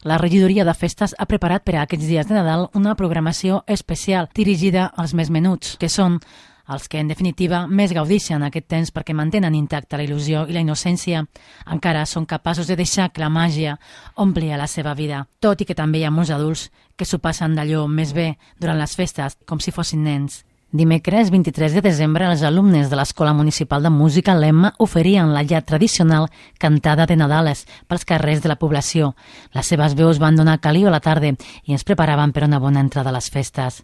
La regidoria de festes ha preparat per a aquests dies de Nadal una programació especial dirigida als més menuts, que són els que, en definitiva, més gaudeixen aquest temps perquè mantenen intacta la il·lusió i la innocència. Encara són capaços de deixar que la màgia ompli a la seva vida, tot i que també hi ha molts adults que s'ho passen d'allò més bé durant les festes, com si fossin nens. Dimecres 23 de desembre, els alumnes de l'Escola Municipal de Música l'EMMA oferien la ja tradicional cantada de Nadales pels carrers de la població. Les seves veus van donar caliu a la tarda i ens preparaven per una bona entrada a les festes.